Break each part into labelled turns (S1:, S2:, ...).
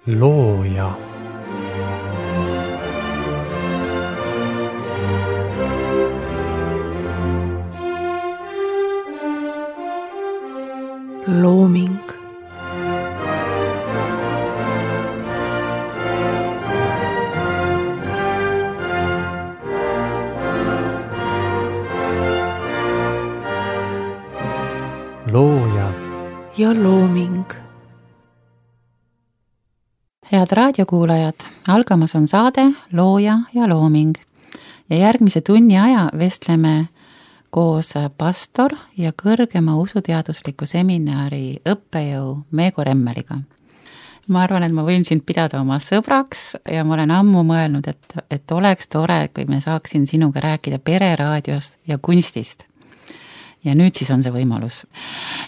S1: looja. Looming. Looja ja looming.
S2: Head raadiokuulajad, algamas on saade Looja ja looming ja järgmise tunni aja vestleme koos pastor ja kõrgema usuteadusliku seminari õppejõu Meego Remmeliga. Ma arvan, et ma võin sind pidada oma sõbraks ja ma olen ammu mõelnud, et oleks tore, kui me saaksin sinuga rääkida pereraadiost ja kunstist. Ja nüüd siis on see võimalus.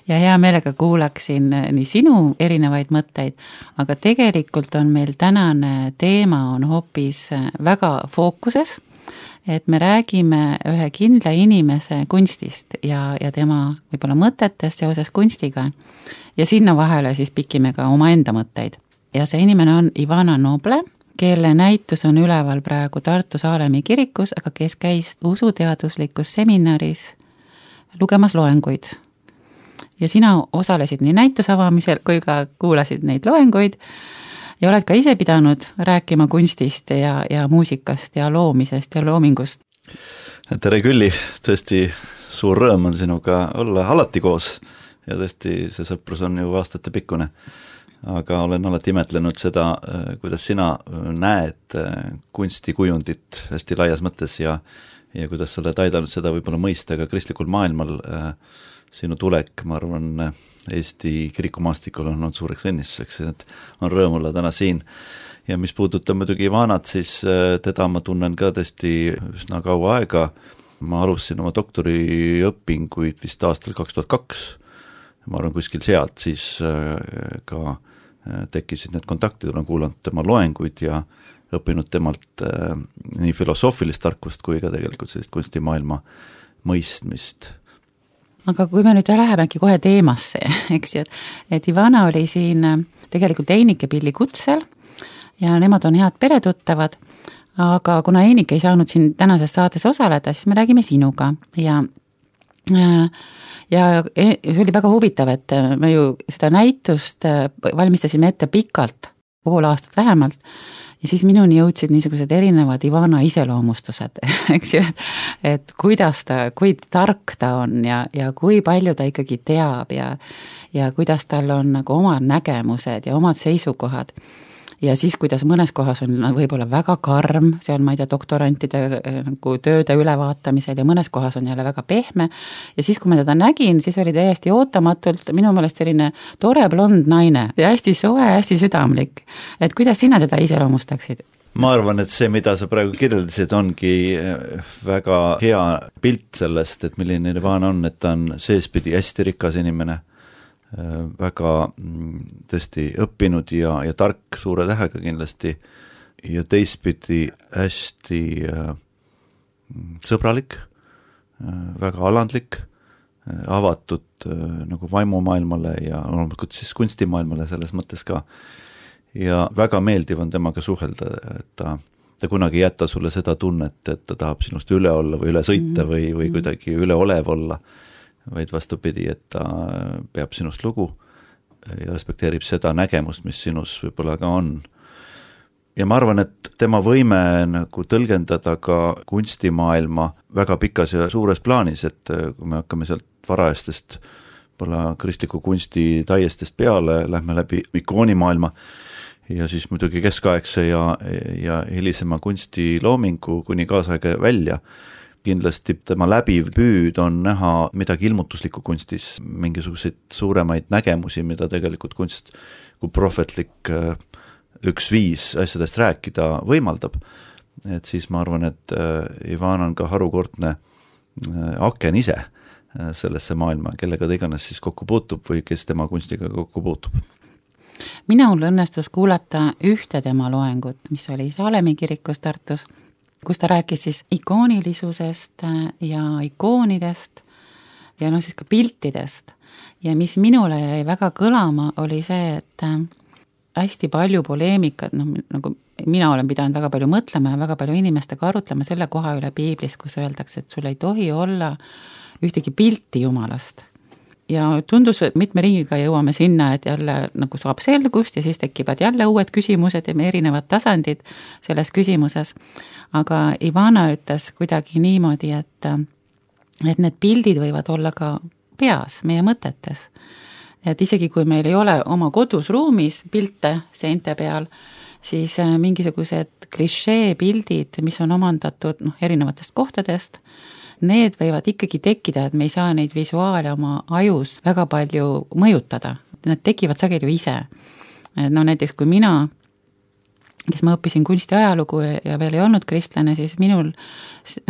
S2: Ja hea meelega kuulaksin nii sinu erinevaid mõtteid, aga tegelikult on meil tänane teema on hoopis väga fookuses, et me räägime ühe kindla inimese kunstist ja tema võib-olla mõtetest seoses kunstiga ja sinna vahele siis pikime ka oma enda mõtteid. Ja see inimene on Ivana Noble, kelle näitus on üleval praegu Tartu Saalemi kirikus, aga kes käis usuteaduslikus seminaris lugemas loenguid. Ja sina osalesid nii näituse avamisel kui ka kuulasid neid loenguid ja oled ka ise pidanud rääkima kunstist ja muusikast ja loomisest ja loomingust.
S3: Tere Külli, tõesti suur rõõm on sinuga olla alati koos ja tõesti see sõprus on ju aastate pikkune. Aga olen alati imetlenud seda, kuidas sina näed kunstikujundit hästi laias mõttes ja kuidas sa oled aidanud seda võib-olla mõista ka kristlikul maailmal. Sinu tulek, ma arvan, Eesti kirikumaastikul on olnud suureks õnnistuseks, et on rõõm olla täna siin. Ja mis puudutab muidugi Ivanat, siis teda ma tunnen ka tõesti üsna kaua aega. Ma alustasin oma doktoriõpinguid vist aastal 2002. Ma arvan, kuskil sealt siis ka tekkisid need kontaktid, olen kuulanud tema loenguid ja õppinud temalt nii filosoofilist tarkust kui ka tegelikult sellist kunstimaailma mõistmist.
S2: Aga kui me nüüd lähemegi kohe teemasse, eks ju, et Ivana oli siin tegelikult Einike Pilli kutsel ja nemad on head peretuttavad, aga kuna Einike ei saanud siin tänases saates osaleda, siis me räägime sinuga ja see oli väga huvitav, et me ju seda näitust valmistasime ette pikalt, pool aastat vähemalt, ja siis minuni jõudsid niisugused erinevad Ivana iseloomustused, eks ju, et kuidas ta, kui tark ta on ja kui palju ta ikkagi teab ja kuidas tal on nagu omad nägemused ja omad seisukohad. Ja siis, kuidas mõnes kohas on võib-olla väga karm, see on, ma ei tea, doktorantide nagu tööde ülevaatamisel ja mõnes kohas on jälle väga pehme. Ja siis, kui ma teda nägin, siis oli täiesti ootamatult minu meelest selline tore blond naine ja hästi soe, hästi südamlik. Et kuidas sina teda iseloomustaksid?
S3: Ma arvan, et see, mida sa praegu kirjeldasid, ongi väga hea pilt sellest, et milline Ivana on, et ta on seespidi hästi rikas inimene, väga tõesti õppinud ja tark suure tähega kindlasti ja teistpidi hästi sõbralik, väga alandlik, avatud nagu vaimumaailmale ja loomulikult siis kunstimaailmale selles mõttes ka. Ja väga meeldiv on temaga suhelda, et ta kunagi ei jäta sulle seda tunnet, et ta tahab sinust üle olla või üle sõita või kuidagi üleolev olla, vaid vastupidi, et ta peab sinust lugu ja respekteerib seda nägemust, mis sinus võib-olla ka on. Ja ma arvan, et tema võime nagu tõlgendada ka kunstimaailma väga pikas ja suures plaanis, et kui me hakkame sealt varajastest kristliku kunsti taiestest peale, lähme läbi ikoonimaailma ja siis muidugi keskaegse ja hilisema kunstiloomingu kuni kaasaega välja. Kindlasti tema läbiv püüd on näha midagi ilmutuslikku kunstis, mingisuguseid suuremaid nägemusi, mida tegelikult kunst kui prohvetlik üks viis asjadest rääkida võimaldab. Et siis ma arvan, et Ivana on ka harukordne aken ise sellesse maailma, kellega ta iganes siis kokku puutub või kes tema kunstiga kokku puutub.
S2: Minul õnnestus kuulata ühte tema loengut, mis oli Saalemi kirikus Tartus, kus ta rääkis siis ikoonilisusest ja ikoonidest ja siis ka piltidest. Ja mis minule jäi väga kõlama, oli see, et hästi palju poleemikat, nagu mina olen pidanud väga palju mõtlema ja väga palju inimestega arutlema selle koha üle piiblis, kus öeldakse, et sul ei tohi olla ühtegi pilti Jumalast. Ja tundus, et mitme ringiga jõuame sinna, et jälle nagu saab selgust ja siis tekivad jälle uued küsimused ja erinevad tasandid selles küsimuses. Aga Ivana ütles kuidagi niimoodi, et need pildid võivad olla ka peas, meie mõtetes. Et isegi kui meil ei ole oma kodus ruumis pilte seinte peal, siis mingisugused klišee pildid, mis on omandatud erinevatest kohtadest, need võivad ikkagi tekkida, et me ei saa neid visuaale oma ajus väga palju mõjutada. Nad tekivad sageli ju ise. Näiteks kui mina, kes ma õppisin kunstiajalugu ja veel ei olnud kristlane, siis minul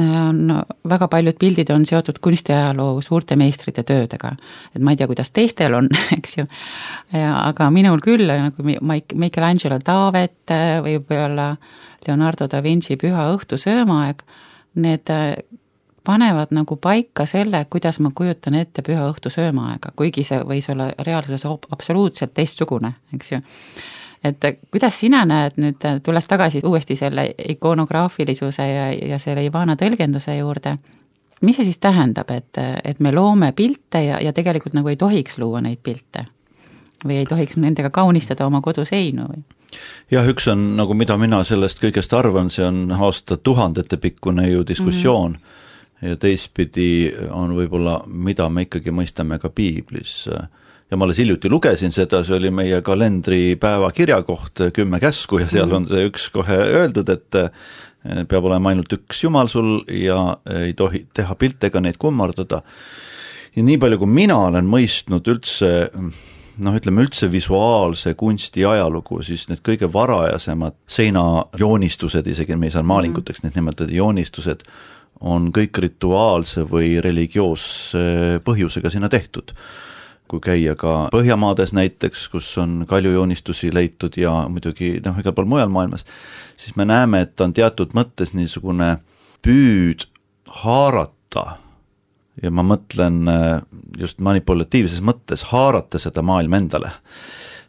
S2: on väga paljud pildid on seotud kunstiajaloo suurte meistrite töödega. Et ma ei tea, kuidas teistel on, eks ju. Aga minul küll, nagu Michelangelo Taavet või võib-olla Leonardo da Vinci Püha õhtu söömaaeg, need panevad nagu paika selle, kuidas ma kujutan ette Püha õhtu söömaaega, kuigi see võis olla reaalsuses absoluutselt teistsugune, eks ju. Et kuidas sina näed nüüd, tulles tagasi uuesti selle ikonograafilisuse ja selle Ivana tõlgenduse juurde, mis see siis tähendab, et me loome pilte ja tegelikult nagu ei tohiks luua neid pilte või ei tohiks nendega kaunistada oma koduseinu või?
S3: Jah, üks on, nagu mida mina sellest kõigest arvan, see on aastatuhandete pikkune ju diskussioon ja teistpidi on võib-olla, mida me ikkagi mõistame ka piiblis. Ja ma alles hiljuti lugesin seda, see oli meie kalendripäeva kirjakoht 10 käsku ja seal on see üks kohe öeldud, et peab olema ainult üks Jumal sul ja ei tohi teha pilte ega neid kummardada. Ja nii palju, kui mina olen mõistnud üldse, üldse visuaalse kunsti ajalugu, siis need kõige varajasemad seinajoonistused, isegi me ei saa maalinguteks need nimetada joonistused, on kõik rituaalse või religioosse põhjusega sinna tehtud. Kui käia ka Põhjamaades näiteks, kus on kaljujoonistusi leitud ja muidugi igal pool mujal maailmas, siis me näeme, et on teatud mõttes niisugune püüd haarata ja ma mõtlen just manipulatiivses mõttes haarata seda maailma endale.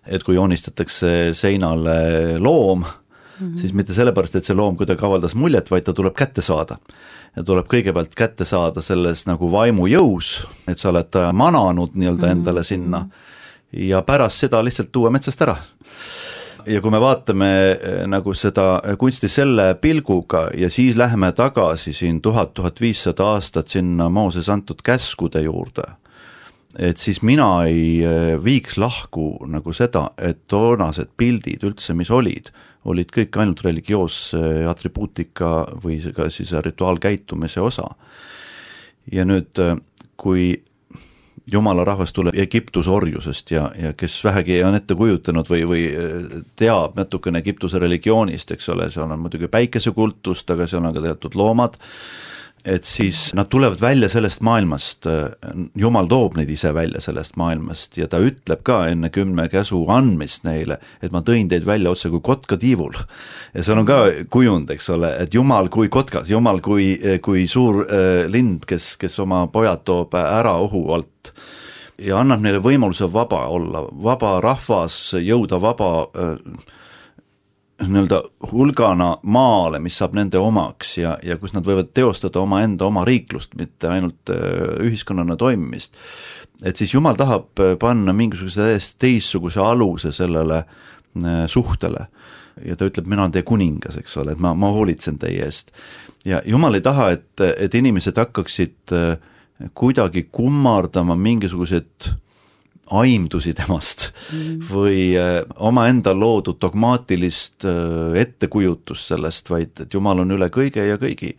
S3: Et kui joonistatakse seinale loom, siis mitte sellepärast, et see loom kuidagi avaldas muljet, vaid ta tuleb kätte saada. Ja tuleb kõigepealt kätte saada selles nagu vaimu jõus, et sa oled mananud nii-öelda endale sinna ja pärast seda lihtsalt tuua metsast ära. Ja kui me vaatame nagu seda kunsti selle pilguga ja siis läheme tagasi siin 1000-1500 aastat sinna Mooses antud käskude juurde, et siis mina ei viiks lahku nagu seda, et toonased pildid üldse, mis olid kõik ainult religioosse atribuutika või ka siis rituaalkäitumise osa. Ja nüüd, kui Jumala rahvas tuleb Egiptuse orjusest ja kes vähegi on ette kujutanud või teab natukene Egiptuse religioonist, eks ole, seal on muidugi päikesekultust, aga seal on ka teatud loomad, et siis nad tulevad välja sellest maailmast, Jumal toob neid ise välja sellest maailmast ja ta ütleb ka enne 10 käsu andmist neile, et ma tõin teid välja otse kui kotka tiivul. Ja seal on ka kujund, eks ole, et Jumal kui kotkas, Jumal kui suur lind, kes oma pojad toob ära ohu alt ja annab neile võimaluse vaba olla, vaba rahvas, jõuda vaba nii-öelda hulgana maale, mis saab nende omaks ja kus nad võivad teostada oma riiklust, mitte ainult ühiskonnana toimimist. Et siis Jumal tahab panna mingisuguse teistsuguse aluse sellele suhtele ja ta ütleb, mina olen teie kuningas, eks ole, et ma hoolitsen teie eest. Ja Jumal ei taha, et inimesed hakkaksid kuidagi kummardama mingisugused aimdusi temast või omaenda loodud dogmaatilist ettekujutust sellest, vaid et Jumal on üle kõige ja kõigi.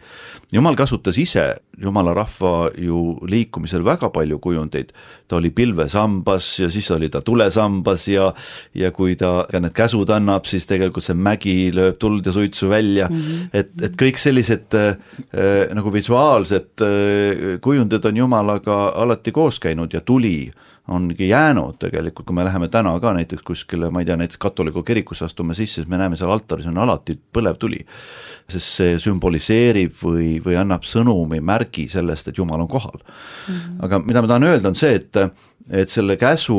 S3: Jumal kasutas ise Jumala rahva ju liikumisel väga palju kujundeid. Ta oli pilvesambas ja siis oli ta tulesambas ja kui ta need käsud annab, siis tegelikult see mägi lööb tuld ja suitsu välja. Et kõik sellised nagu visuaalsed kujundid on Jumalaga alati koos käinud ja tuli ongi jäänud tegelikult, kui me läheme täna ka näiteks kuskile, ma ei tea, näiteks katoliku kirikusse astume sisse, siis me näeme seal altaris on alati põlev tuli, sest see sümboliseerib või annab sõnumi märgi sellest, et Jumal on kohal. Aga mida ma tahan öelda on see, et selle käsu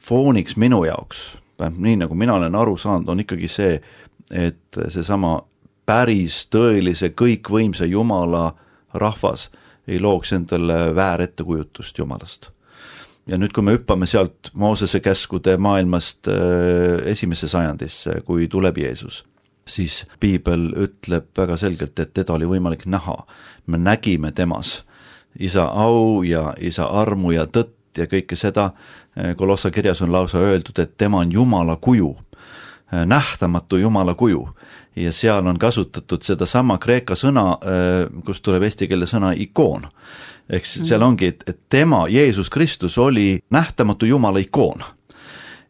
S3: fooniks minu jaoks nii nagu mina olen aru saanud, on ikkagi see, et seesama päris tõelise kõikvõimsa Jumala rahvas ei looks endale väärettekujutust Jumalast. Ja nüüd, kui me hüppame sealt Moosese käskude maailmast esimesse sajandisse, kui tuleb Jeesus, siis Piibel ütleb väga selgelt, et teda oli võimalik näha. Me nägime temas isa au ja isa armu ja tõtt ja kõike seda. Kolossa kirjas on lausa öeldud, et tema on Jumala kuju, nähtamatu Jumala kuju. Ja seal on kasutatud seda sama kreeka sõna, kust tuleb eesti keele sõna ikoon. Eks seal ongi, et tema, Jeesus Kristus, oli nähtamatu Jumala ikoon.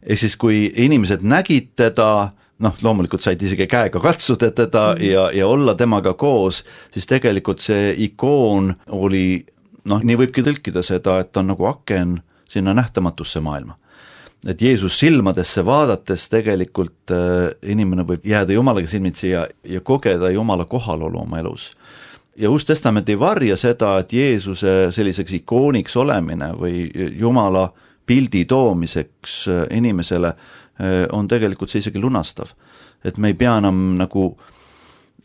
S3: Ehk siis, kui inimesed nägid teda, loomulikult said isegi käega katsuda teda ja olla temaga koos, siis tegelikult see ikoon oli, nii võibki tõlkida seda, et on nagu aken sinna nähtamatusse maailma. Et Jeesus silmadesse vaadates tegelikult inimene võib jääda Jumalaga silmitsi ja kogeda Jumala kohalolu oma elus. Ja Uus Testament ei varja seda, et Jeesuse selliseks ikooniks olemine või Jumala pildi toomiseks inimesele on tegelikult see isegi lunastav. Et me ei pea enam nagu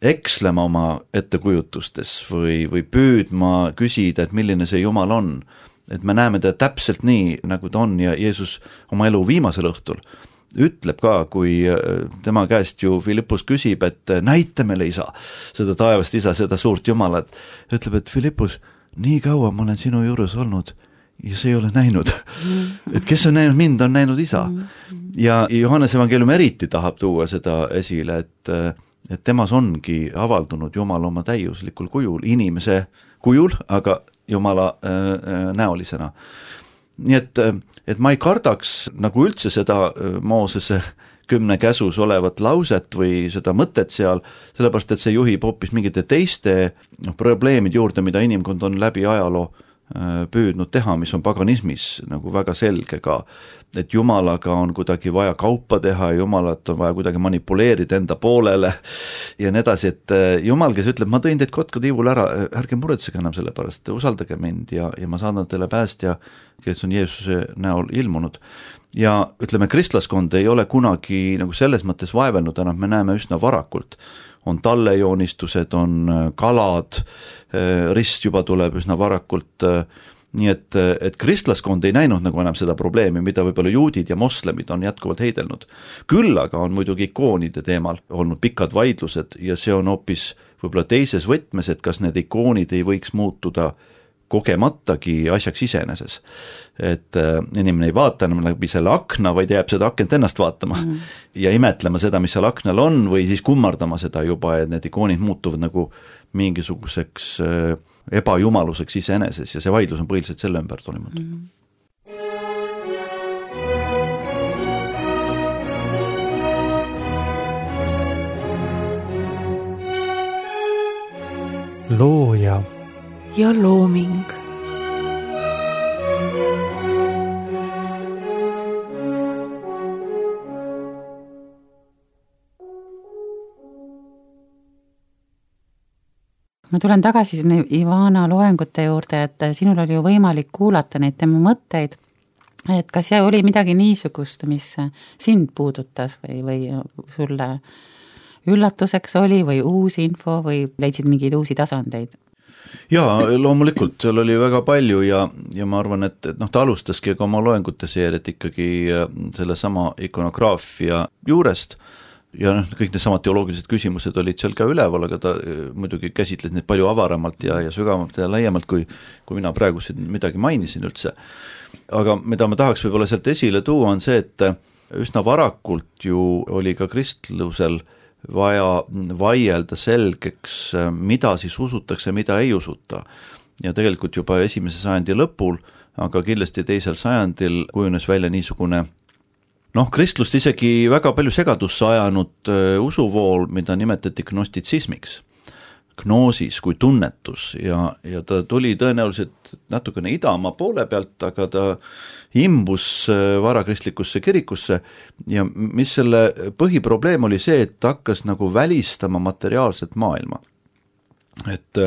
S3: ekslema oma ettekujutustes või püüdma küsida, et milline see Jumal on. Et me näeme ta täpselt nii, nagu ta on ja Jeesus oma elu viimasel õhtul ütleb ka, kui tema käest ju Filippus küsib, et näita meile isa, seda taevast isa, seda suurt Jumalat. Ütleb, et Filippus, nii kaua ma olen sinu juures olnud ja see ei ole näinud. Et kes on näinud mind, on näinud isa. Ja Johannes evangeelium eriti tahab tuua seda esile, et temas ongi avaldunud Jumal oma täiuslikul kujul, inimese kujul, aga Jumala näolisena. Nii et ma ei kardaks nagu üldse seda Moosese 10 käsus olevat lauset või seda mõtet seal, sellepärast et see juhib hoopis mingite teiste probleemid juurde, mida inimkond on läbi ajaloo püüdnud teha, mis on paganismis nagu väga selge ka, et Jumalaga on kuidagi vaja kaupa teha ja Jumalat on vaja kuidagi manipuleerida enda poolele ja nii edasi, et Jumal, kes ütleb, ma tõin teid kotkatiivul ära, ärge muretsege enam selle pärast, usaldage mind ja ma saadan teile päästja, kes on Jeesuse näol ilmunud. Ja ütleme, kristlaskond ei ole kunagi nagu selles mõttes vaevelnud, enam me näeme üsna varakult. On tallejoonistused, on kalad, rist juba tuleb üsna varakult, nii et kristlaskond ei näinud nagu enam seda probleemi, mida võib-olla juudid ja moslemid on jätkuvalt heidelnud. Küll aga on muidugi ikoonide teemal olnud pikad vaidlused ja see on hoopis võib-olla teises võtmes, et kas need ikoonid ei võiks muutuda kogematagi asjaks iseeneses. Et inimene ei vaata enam läbi selle akna, vaid jääb seda akent ennast vaatama ja imetlema seda, mis seal aknal on või siis kummardama seda juba, et need ikoonid muutuvad nagu mingisuguseks ebajumaluseks iseeneses ja see vaidlus on põhiliselt selle ümber toimunud.
S1: Looja
S4: ja looming.
S2: Ma tulen tagasi Ivana loengute juurde, et sinul oli ju võimalik kuulata neid tema mõtteid, et kas oli midagi niisugust, mis sind puudutas või sulle üllatuseks oli või uus info või leidsid mingeid uusi tasandeid?
S3: Jaa, loomulikult, seal oli väga palju ja ma arvan, et ta alustaski ka oma loengute seeriat ikkagi selle sama ikonograafia juurest ja kõik need samad teoloogilised küsimused olid seal ka üleval, aga ta muidugi käsitles neid palju avaramalt ja sügavamalt ja laiemalt, kui mina praegu siin midagi mainisin üldse. Aga mida ma tahaks võib-olla sealt esile tuua on see, et üsna varakult ju oli ka kristlusel vaja vaielda selgeks, mida siis usutakse, mida ei usuta. Ja tegelikult juba 1. sajandi lõpul, aga kindlasti 2. sajandil kujunes välja niisugune kristlust isegi väga palju segadusse ajanud usuvool, mida nimetati gnostitsismiks. Gnoosis kui tunnetus ja ta tuli tõenäoliselt natukene idamaa poole pealt, aga ta imbus varakristlikusse kirikusse ja mis selle põhiprobleem oli see, et ta hakkas nagu välistama materiaalset maailma. et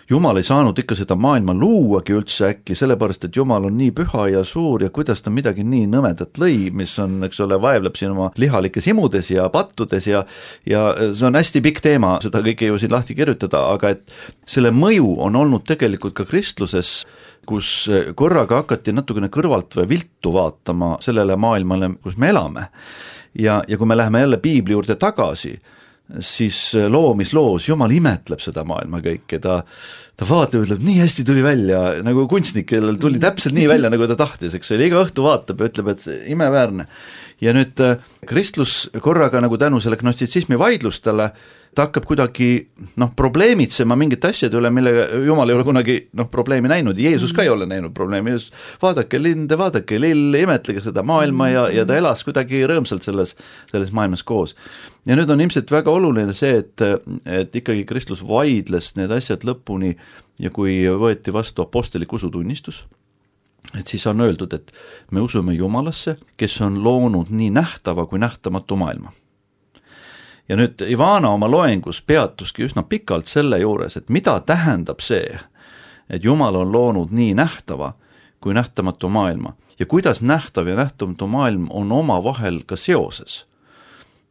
S3: Jumal ei saanud ikka seda maailma luuagi üldse äkki, sellepärast, et Jumal on nii püha ja suur ja kuidas ta midagi nii nõmedat lõi, mis on, eks ole, vaevleb siin oma lihalikes imudes ja pattudes ja see on hästi pikk teema, seda kõike ju siin lahti kirjutada, aga et selle mõju on olnud tegelikult ka kristluses, kus korraga hakati natukene kõrvalt või viltu vaatama sellele maailmale, kus me elame. Ja kui me läheme jälle piibli juurde tagasi, siis loomisloos Jumal imetleb seda maailma kõike, ta vaatab, ütleb, nii hästi tuli välja, nagu kunstnik, kellel tuli täpselt nii välja, nagu ta tahtis, eks ole, iga õhtu vaatab ja ütleb, et imeväärne. Ja nüüd kristlus korraga nagu tänu selle gnostitsismi vaidlustele, ta hakkab kuidagi probleemitsema mingite asjade üle, millega Jumal ei ole kunagi probleemi näinud, Jeesus ka ei ole näinud probleemi, vaadake linde, vaadake lille, imetlege seda maailma ja ta elas kuidagi rõõmsalt selles maailmas koos. Ja nüüd on ilmselt väga oluline see, et ikkagi kristlus vaidles need asjad lõpuni ja kui võeti vastu apostlik usutunnistus, et siis on öeldud, et me usume Jumalasse, kes on loonud nii nähtava kui nähtamatu maailma. Ja nüüd Ivana oma loengus peatuski üsna pikalt selle juures, et mida tähendab see, et Jumal on loonud nii nähtava kui nähtamatu maailma ja kuidas nähtav ja nähtamatu maailm on oma vahel ka seoses.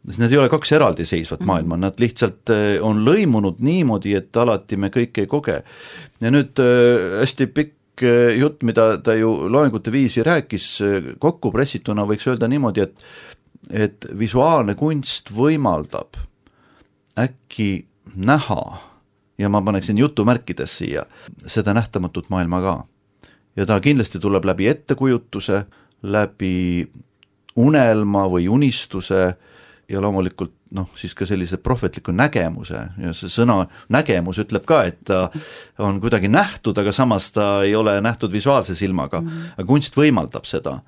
S3: Need ei ole kaks eraldiseisvat maailma, nad lihtsalt on lõimunud niimoodi, et alati me kõike ei koge. Ja nüüd hästi pikk jutt, mida ta ju loengute viisi rääkis, kokku pressituna võiks öelda niimoodi, et visuaalne kunst võimaldab äkki näha, ja ma paneksin jutumärkides siia, seda nähtamatut maailma ka. Ja ta kindlasti tuleb läbi ettekujutuse, läbi unelma või unistuse ja loomulikult siis ka sellise prohvetliku nägemuse ja see sõna nägemus ütleb ka, et ta on kuidagi nähtud, aga samas ta ei ole nähtud visuaalse silmaga, aga kunst võimaldab seda.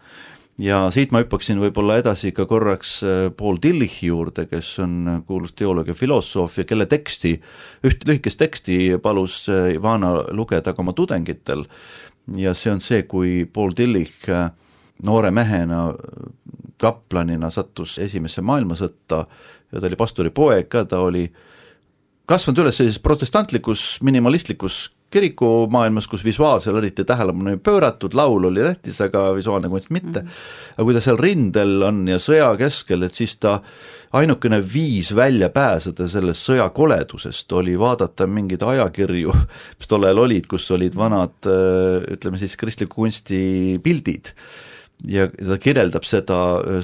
S3: Ja siit ma hüppaksin võib-olla edasi ka korraks Paul Tillichi juurde, kes on kuulus teoloog ja filosoof ja kelle teksti, üht lühikest teksti palus Ivana lugeda ka oma tudengitel ja see on see, kui Paul Tillich noore mehena, kaplanina sattus esimesse maailmasõtta ja ta oli pastori poeg ka, ta oli kasvanud üles sellises protestantlikus, minimalistlikus kirikumaailmas, kus visuaalsel eriti tähelepanu ei pööratud, laul oli tähtis, aga visuaalne kunst mitte. Aga kui ta seal rindel on ja sõja keskel, et siis ta ainukene viis välja pääseda sellest sõjakoledusest oli vaadata mingeid ajakirju, mis tollel olid, kus olid vanad, ütleme siis kristliku kunsti pildid. Ja ta kirjeldab seda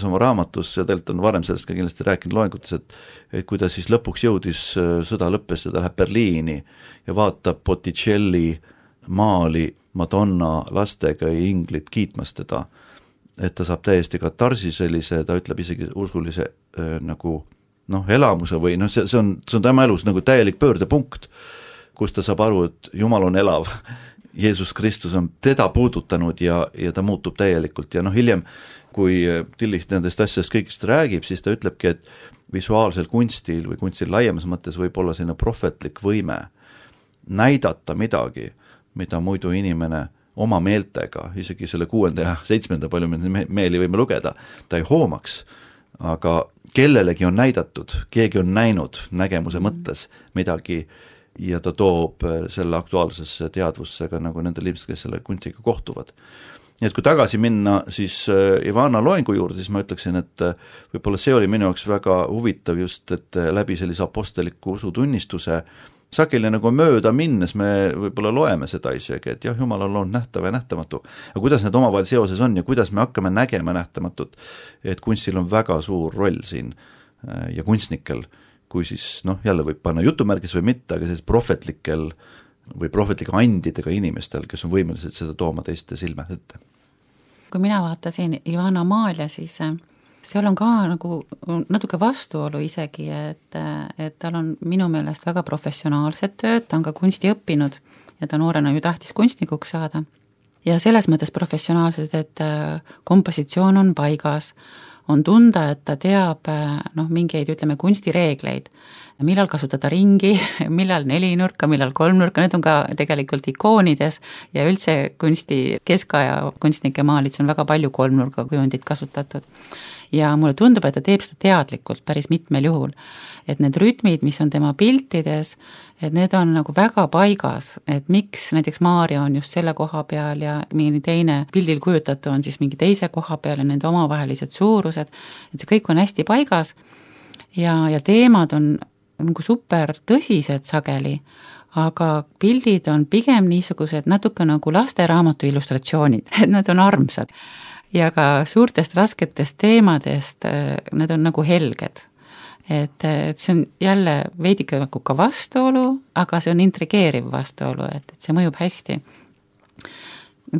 S3: oma raamatus ja tegelikult on varem sellest ka kindlasti rääkinud loengutes, et kui ta siis lõpuks jõudis, sõda lõppes ja ta läheb Berliini ja vaatab Botticelli maali Madonna lastega ja inglid kiitmas teda, et ta saab täiesti katarsi sellise, ta ütleb isegi usulise nagu elamuse või see on tema elus nagu täielik pöördepunkt, kus ta saab aru, et Jumal on elav. Jeesus Kristus on teda puudutanud ja ta muutub täielikult ja hiljem, kui Tillich nendest asjast kõigist räägib, siis ta ütlebki, et visuaalsel kunstil või kunstil laiemas mõttes võib olla selline prohvetlik võime näidata midagi, mida muidu inimene oma meeltega, isegi selle 6. ja 7. palju meeli võime lugeda, ta ei hoomaks, aga kellelegi on näidatud, keegi on näinud nägemuse mõttes midagi ja ta toob selle aktuaalsesse teadvusse ka nagu nendel inimesed, kes selle kunstiga kohtuvad. Nii et kui tagasi minna siis Ivana loengu juurde, siis ma ütleksin, et võib-olla see oli minu jaoks väga huvitav just, et läbi sellise aposteliku usutunnistuse sageli nagu mööda minnes me võib-olla loeme seda isegi, et jah, Jumal on loonud nähtav ja nähtamatu. Aga kuidas need omavahel seoses on ja kuidas me hakkame nägema nähtamatut, et kunstil on väga suur roll siin ja kunstnikel, kui siis jälle võib panna jutumärgis või mitte, aga sellised prohvetlikel või prohvetlike andidega inimestel, kes on võimelised seda tooma teiste silme ette.
S2: Kui mina vaatasin Ivana Maalia, siis seal on ka nagu natuke vastuolu isegi, et tal on minu meelest väga professionaalset tööd, ta on ka kunsti õppinud ja ta noorena ju tahtis kunstnikuks saada. Ja selles mõttes professionaalsed, et kompositsioon on paigas, on tunda, et ta teab mingeid, ütleme, kunstireegleid, millal kasutada ringi, millal 4-nurka, millal 3-nurka, need on ka tegelikult ikoonides ja üldse kunsti, keskaja kunstnike maalis on väga palju 3-nurga kujundit kasutatud. Ja mulle tundub, et ta teeb seda teadlikult päris mitmel juhul. Et need rütmid, mis on tema piltides, et need on nagu väga paigas, et miks näiteks Maarja on just selle koha peal ja mingi teine pildil kujutatu on siis mingi teise koha peal ja nende omavahelised suurused, et see kõik on hästi paigas ja teemad on nagu super tõsised sageli, aga pildid on pigem niisugused natuke nagu lasteraamatu illustratsioonid, et nad on armsad. Ja ka suurtest rasketest teemadest need on nagu helged. Et see on jälle veidike nagu ka vastuolu, aga see on intrigeeriv vastuolu, et see mõjub hästi.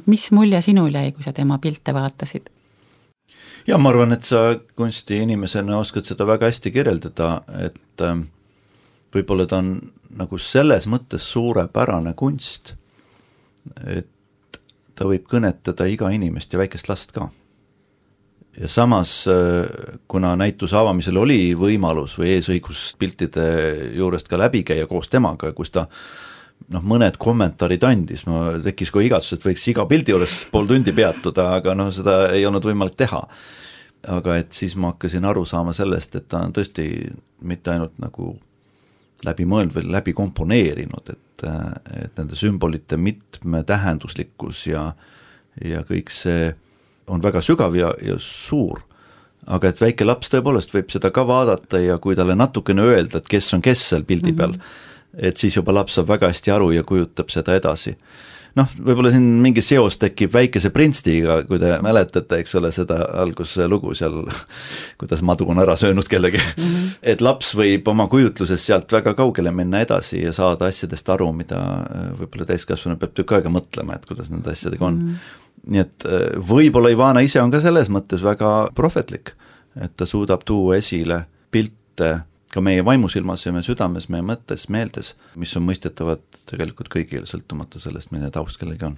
S2: Mis mulje sinul jäi, kui sa tema pilte vaatasid?
S3: Ja ma arvan, et sa kunsti inimesena oskad seda väga hästi kirjeldada, et võib-olla ta on nagu selles mõttes suurepärane kunst, et ta võib kõnetada iga inimest ja väikest last ka. Ja samas, kuna näituse avamisel oli võimalus või eesõigus piltide juurest ka läbi käia koos temaga, kus ta mõned kommentaarid andis, ma tekkis kui igatsus, et võiks iga pildi juures pool tundi peatuda, aga seda ei olnud võimalik teha. Aga et siis ma hakkasin aru saama sellest, et ta on tõesti mitte ainult nagu läbi mõelnud või läbi komponeerinud, et nende sümbolite mitmetähenduslikkus ja kõik see on väga sügav ja suur. Aga et väike laps tõepoolest võib seda ka vaadata ja kui talle natukene öelda, et kes on kes seal pildi peal, et siis juba laps saab väga hästi aru ja kujutab seda edasi. Võib-olla siin mingi seos tekib Väikese printsiga, kui te mäletate, eks ole, seda alguslugu seal, kuidas madu on ära söönud kellegi. Et laps võib oma kujutluses sealt väga kaugele minna edasi ja saada asjadest aru, mida võib-olla täiskasvanu peab tükk aega mõtlema, et kuidas nende asjadega on. Nii et võib-olla Ivana ise on ka selles mõttes väga prohvetlik, et ta suudab tuua esile pilte ka meie vaimusilmas ja meie südames, meie mõttes, meeldes, mis on mõistetavad tegelikult kõigile, sõltumata sellest, milline taust kellegi on.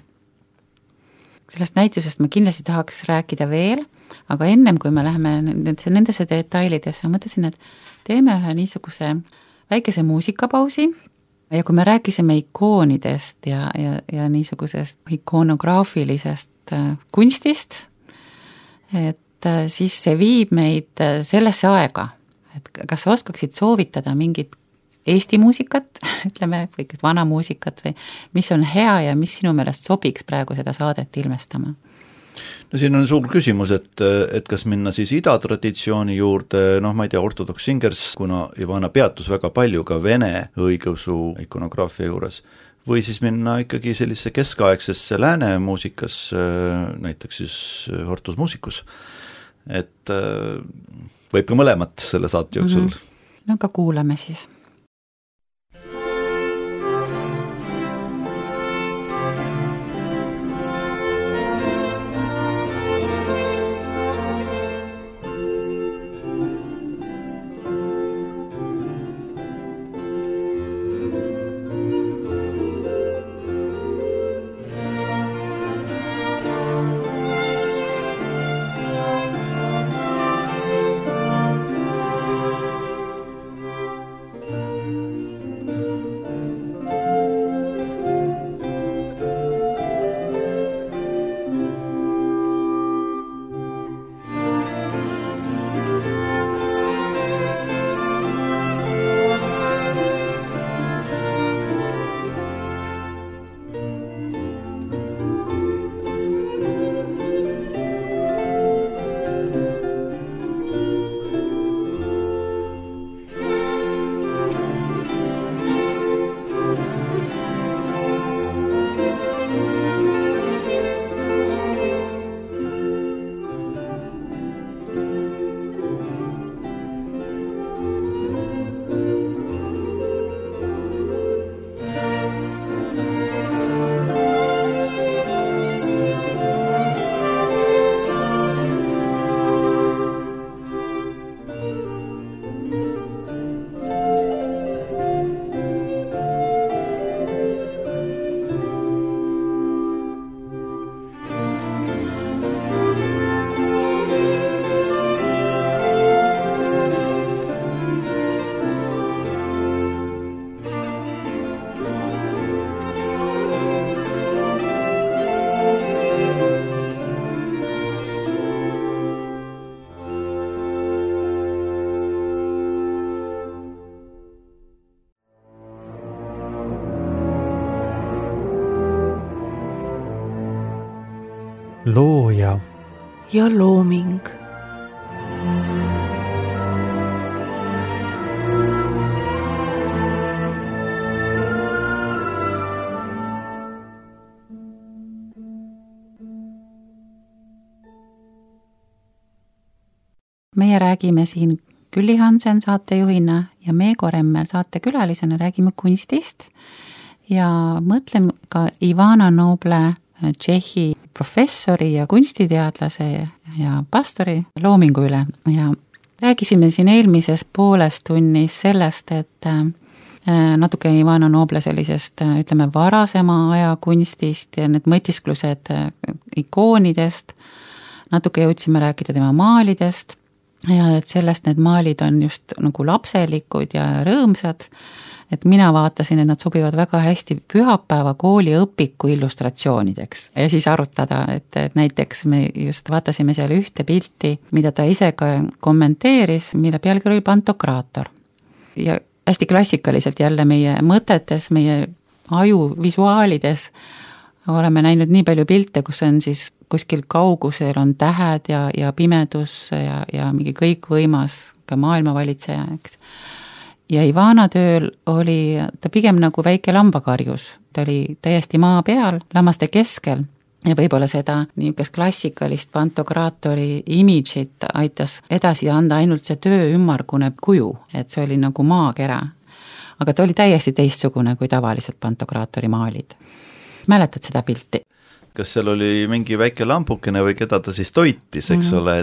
S2: Sellest näitusest ma kindlasti tahaks rääkida veel, aga ennem kui me läheme nendesse detailidesse, mõtlesin, et teeme ühe niisuguse väikese muusikapausi ja kui me rääkisime ikoonidest ja niisugusest ikonograafilisest kunstist, et siis see viib meid sellesse aega, et kas sa oskaksid soovitada mingit Eesti muusikat, ütleme, või vana muusikat või mis on hea ja mis sinu meelest sobiks praegu seda saadet ilmestama?
S3: Siin on suur küsimus, et kas minna siis idatraditsiooni juurde, ma ei tea, Orthodox Singers, kuna Ivana peatus väga palju ka vene õigeusu ikonograafia juures, või siis minna ikkagi sellise keskaegsesse lääne muusikas, näiteks siis Hortus Musicus, et võib ka mõlemat selle saate jooksul.
S2: No ka kuulame siis.
S1: looja
S4: ja looming.
S2: Meie räägime siin Külli Hansen saatejuhina ja Meego Remmel saatekülalisena räägime kunstist ja mõtleme ka Ivana Noble, Tšehhi professori ja kunstiteadlase ja pastori loomingu üle ja räägisime siin eelmises pooles tunnis sellest, et natuke Ivana Noble sellisest, ütleme, varasema aja kunstist ja need mõtisklused ikoonidest, natuke jõudsime rääkida tema maalidest ja et sellest need maalid on just nagu lapselikud ja rõõmsad, et mina vaatasin, et nad sobivad väga hästi pühapäeva kooli õpiku illustratsioonideks ja siis arutada, et näiteks me just vaatasime seal ühte pilti, mida ta ise ka kommenteeris, mille pealkiri oli Pantokraator. Ja hästi klassikaliselt jälle meie mõtetes, meie aju visuaalides oleme näinud nii palju pilte, kus on siis kuskil kaugusel on tähed ja pimedus ja mingi kõikvõimas ka maailmavalitseja, eks. Ja Ivana tööl oli ta pigem nagu väike lambakarjus, ta oli täiesti maa peal, lammaste keskel ja võib-olla seda niisugust klassikalist pantokraatori imidžit aitas edasi anda ainult see töö ümmargune kuju, et see oli nagu maakera. Aga ta oli täiesti teistsugune kui tavaliselt pantokraatori maalid. Mäletad seda pilti?
S3: Kas seal oli mingi väike lampukene või keda ta siis toitis, eks ole,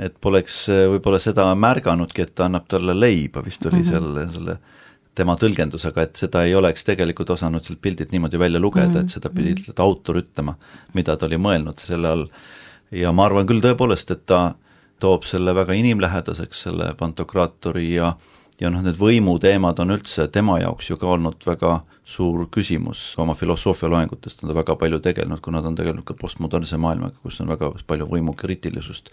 S3: et poleks võib-olla seda märganudki, et ta annab talle leiba, vist oli selle tema tõlgendusega, et seda ei oleks tegelikult osanud sealt pildilt niimoodi välja lugeda, et seda pidi autor ütlema, mida ta oli mõelnud selle all. Ja ma arvan küll tõepoolest, et ta toob selle väga inimlähedaseks, selle pantokraatori ja need võimuteemad on üldse tema jaoks ju ka olnud väga suur küsimus oma filosoofia loengutest, on ta väga palju tegelenud, kuna ta on tegelenud ka postmodernse maailmaga, kus on väga palju võimukriitilisust.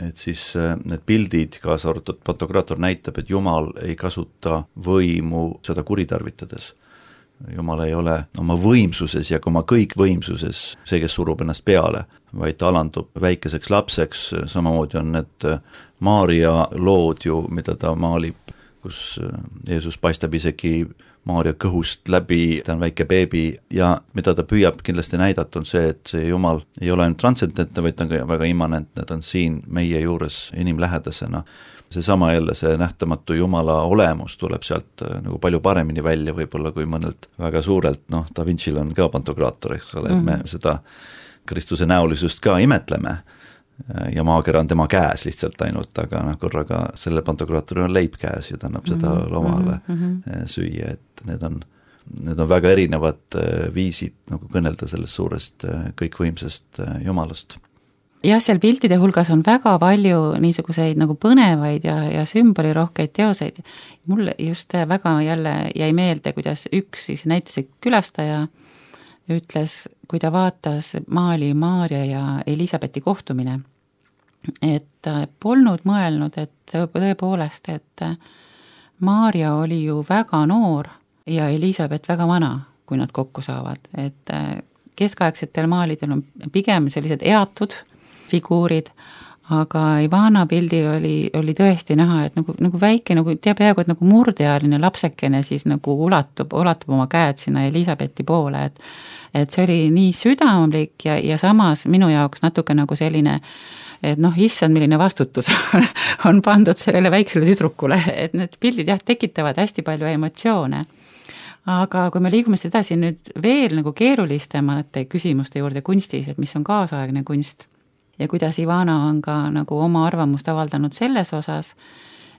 S3: Et siis need pildid, kaasa arvatud pantokraator näitab, et Jumal ei kasuta võimu seda kuritarvitades. Jumal ei ole oma võimsuses ja ka oma kõikvõimsuses see, kes surub ennast peale, vaid ta alandub väikeseks lapseks, samamoodi on need Maarja lood ju, mida ta maalib, kus Jeesus paistab isegi Maarja kõhust läbi, ta on väike beebi ja mida ta püüab kindlasti näidata on see, et see Jumal ei ole ainult transcendentne, vaid ta on väga immanentne, ta on siin meie juures inimlähedasena. Seesama jälle see nähtamatu Jumala olemus tuleb sealt nagu palju paremini välja võib-olla kui mõnelt väga suurelt, Da Vinci'l on ka pantokraator, eks ole, et me seda Kristuse näolisust ka imetleme ja maakera on tema käes lihtsalt ainult, aga korraga selle pantokraatori on leib käes ja ta annab seda loomale süüa, et need on väga erinevad viisid nagu kõnelda sellest suurest kõikvõimsast Jumalast.
S2: Jah, seal piltide hulgas on väga palju niisuguseid nagu põnevaid ja sümbolirohkeid teoseid. Mulle just väga jälle jäi meelde, kuidas üks siis näituse külastaja ütles, kui ta vaatas maali Maarja ja Elisabethi kohtumine, et polnud mõelnud, et tõepoolest, et Maarja oli ju väga noor ja Elisabeth väga vana, kui nad kokku saavad. Et keskaegsetel maalidel on pigem sellised eatud figuurid, aga Ivana pildil oli tõesti näha, et nagu väike, nagu peaaegu, et nagu murdealine lapsekene siis nagu ulatub oma käed sinna Elisabethi poole, et see oli nii südamlik ja samas minu jaoks natuke nagu selline, et issand, milline vastutus on pandud sellele väiksele tüdrukule, et need pildid tekitavad hästi palju emotsioone. Aga kui me liigume edasi nüüd veel nagu keerulistemate küsimuste juurde kunstis, et mis on kaasaegne kunst, ja kuidas Ivana on ka nagu oma arvamust avaldanud selles osas,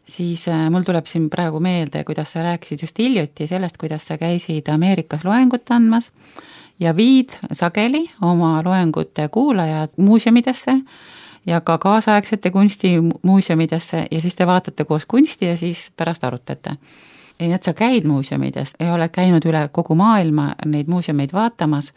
S2: siis mul tuleb siin praegu meelde, kuidas sa rääkisid just hiljuti sellest, kuidas sa käisid Ameerikas loengut andmas ja viid sageli oma loengute kuulajad muuseumidesse ja ka kaasaegsete kunstimuuseumidesse ja siis te vaatate koos kunsti ja siis pärast arutate. Ja et sa käid muuseumides ja oled käinud üle kogu maailma neid muuseumeid vaatamas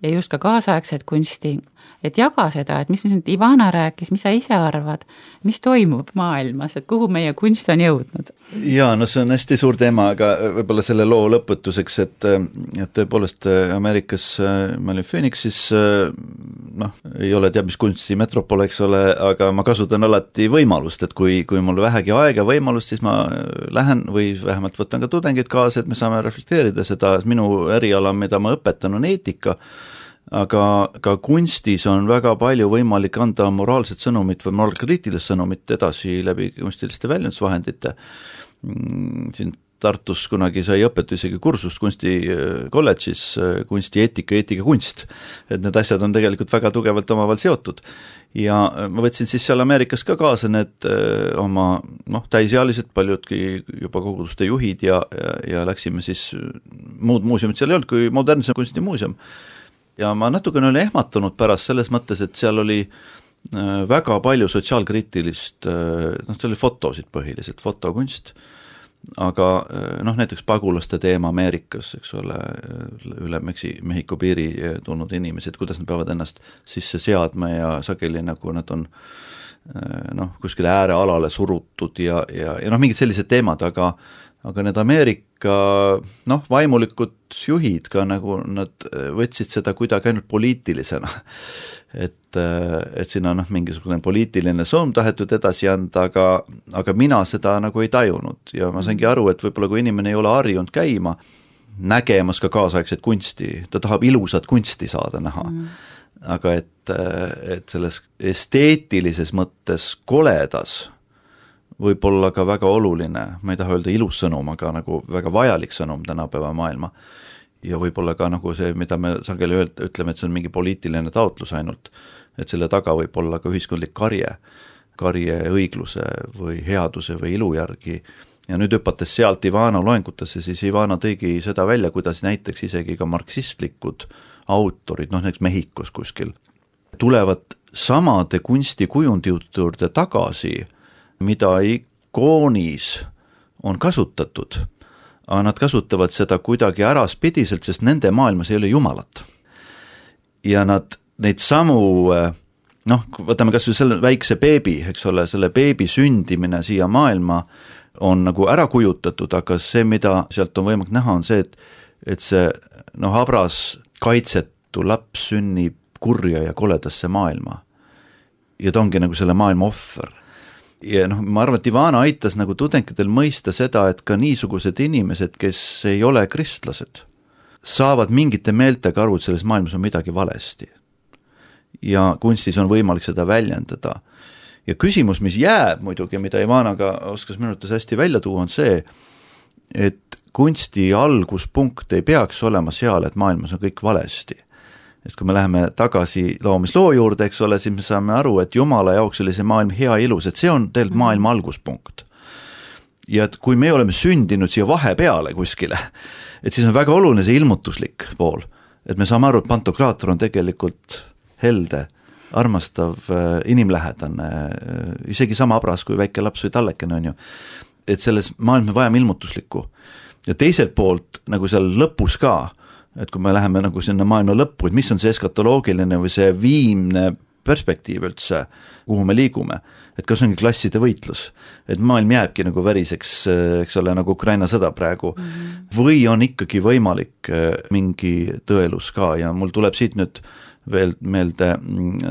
S2: ja just ka kaasaegset kunsti, et jaga seda, et mis nüüd Ivana rääkis, mis sa ise arvad, mis toimub maailmas, et kuhu meie kunst on jõudnud?
S3: Jaa, see on hästi suur teema, aga võib-olla selle loo lõpetuseks, et tõepoolest Ameerikas ma olin Phoenixis ei ole teab mis kunstimetropol, eks ole, aga ma kasutan alati võimalust, et kui mul vähegi aega võimalust, siis ma lähen või vähemalt võtan ka tudengid kaasa, et me saame reflekteerida seda, minu eriala, mida ma õpetan, on eetika, aga ka kunstis on väga palju võimalik anda moraalset sõnumit või moraalkriitilist sõnumit edasi läbi kunstiliste väljendusvahendite. Siin Tartus kunagi sai õpetu isegi kursust kunstikolledžis, kunstieetika, eetika, kunst. Et need asjad on tegelikult väga tugevalt omavahel seotud. Ja ma võtsin siis seal Ameerikas ka kaasa need oma täisealised, paljudki juba koguduste juhid ja läksime siis, muud muuseumid seal ei olnud kui modernse kunstimuuseum. Ja ma natukene olin ehmatunud pärast selles mõttes, et seal oli väga palju sotsiaalkriitilist, see oli fotosid põhiliselt, fotokunst, aga näiteks pagulaste teema Ameerikas, eks ole, üle Mehhiko piiri tulnud inimesed, kuidas nad peavad ennast sisse seadma ja sageli nagu nad on kuskile äärealale surutud ja mingid sellised teemad, aga need Ameerika vaimulikud juhid ka nagu nad võtsid seda kuidagi ainult poliitilisena, et siin on mingisugune poliitiline sõnum tahetud edasi anda, aga mina seda nagu ei tajunud ja ma saingi aru, et võib-olla kui inimene ei ole harjunud käima, nägemas ka kaasaegset kunsti, ta tahab ilusat kunsti saada näha, aga et selles esteetilises mõttes koledas võib olla ka väga oluline, ma ei taha öelda ilus sõnum, aga nagu väga vajalik sõnum tänapäeva maailma. Ja võib-olla ka nagu see, mida me sageli ütleme, et see on mingi poliitiline taotlus ainult, et selle taga võib olla ka ühiskondlik karje õigluse või headuse või ilu järgi. Ja nüüd hüpates sealt Ivana loengutesse, siis Ivana tõigi seda välja, kuidas näiteks isegi ka marksistlikud autorid, näiteks Mehhikos kuskil, tulevad samade kunstikujundite juurde tagasi, mida ikoonis on kasutatud, aga nad kasutavad seda kuidagi äraspidiselt, sest nende maailmas ei ole jumalat. Ja nad neid samu, võtame kas või selle väikse beebi, eks ole, selle beebi sündimine siia maailma on nagu ära kujutatud, aga see, mida sealt on võimalik näha, on see, et see habras kaitsetu laps sünnib kurja ja koledasse maailma. Ja ta ongi nagu selle maailma ohver. Ja ma arvan, et Ivana aitas nagu tudengidel mõista seda, et ka niisugused inimesed, kes ei ole kristlased, saavad mingite meeltega aru, et selles maailmas on midagi valesti. Ja kunstis on võimalik seda väljendada. Ja küsimus, mis jääb muidugi, mida Ivanaga oskas minutis hästi välja tuua, on see, et kunsti alguspunkt ei peaks olema seal, et maailmas on kõik valesti. Sest kui me läheme tagasi loomisloo juurde, eks ole, siis me saame aru, et Jumala jaoks oli see maailm hea ilus, et see on tegelikult maailma alguspunkt. Ja et kui me oleme sündinud siia vahepeale kuskile, et siis on väga oluline see ilmutuslik pool, et me saame aru, et Pantokraator on tegelikult helde, armastav, inimlähedane, isegi sama abras kui väike laps või tallekene on ju, et selles maailm me vajame ilmutuslikku. Ja teiselt poolt, nagu seal lõpus ka, et kui me läheme nagu sinna maailma lõppu, et mis on see eskatoloogiline või see viimne perspektiiv üldse, kuhu me liigume, et kas ongi klasside võitlus, et maailm jääbki nagu väriseks, eks ole, nagu Ukraina sõda praegu, või on ikkagi võimalik mingi tõelus ka ja mul tuleb siit nüüd veel meelde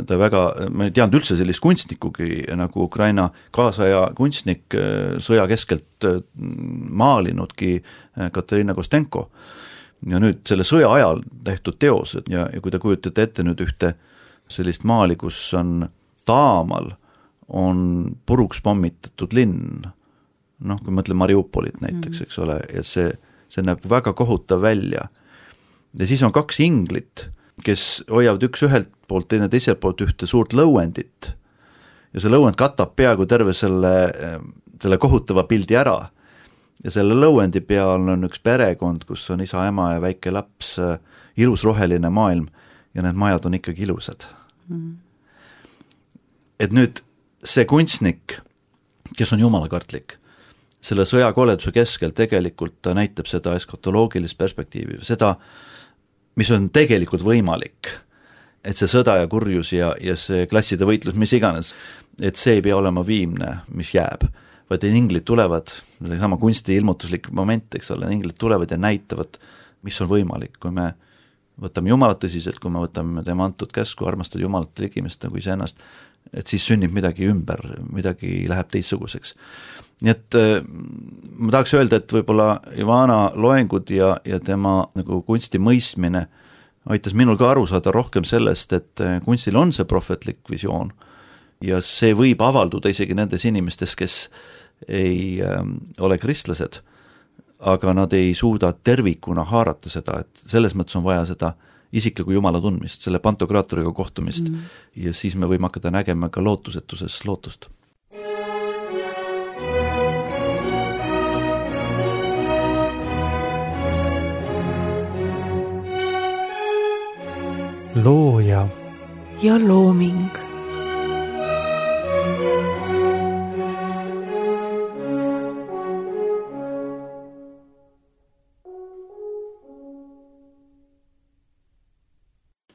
S3: ta väga, ma ei teadnud üldse sellist kunstnikugi nagu Ukraina kaasaja kunstnik sõja keskelt maalinudki Katarina Kostenko. Ja nüüd selle sõja ajal tehtud teosed ja kui te kujutate ette nüüd ühte sellist maali, kus on taamal, on puruks pommitatud linn, kui mõtleme Mariupolit näiteks, eks ole, ja see näeb väga kohutav välja. Ja siis on kaks inglit, kes hoiavad üks ühelt poolt, teine teiselt poolt ühte suurt lõuendit. Ja see lõuend katab peaaegu terve selle kohutava pildi ära. Ja selle lõuendi peal on üks perekond, kus on isa, ema ja väike laps, ilus roheline maailm ja need majad on ikkagi ilusad. Et nüüd see kunstnik, kes on jumalakartlik, selle sõjakoleduse keskel tegelikult ta näitab seda eskatoloogilist perspektiivi, seda, mis on tegelikult võimalik, et see sõda ja kurjus ja see klasside võitlus, mis iganes, et see ei pea olema viimne, mis jääb. Vaid inglid tulevad, sama kunsti ilmutuslik moment, eks ole, inglid tulevad ja näitavad, mis on võimalik, kui me võtame Jumalat tõsiselt, kui me võtame tema antud käsku armastada Jumalat ligimest nagu iseennast, et siis sünnib midagi ümber, midagi läheb teistsuguseks. Nii et ma tahaks öelda, et võib-olla Ivana loengud ja tema nagu kunsti mõistmine aitas minul ka aru saada rohkem sellest, et kunstil on see prohvetlik visioon ja see võib avalduda isegi nendes inimestes, kes ei ole kristlased, aga nad ei suuda tervikuna haarata seda, et selles mõttes on vaja seda isikliku Jumala tundmist, selle pantokraatoriga kohtumist ja siis me võime hakata nägema ka lootusetuses lootust.
S1: looja
S4: ja looming.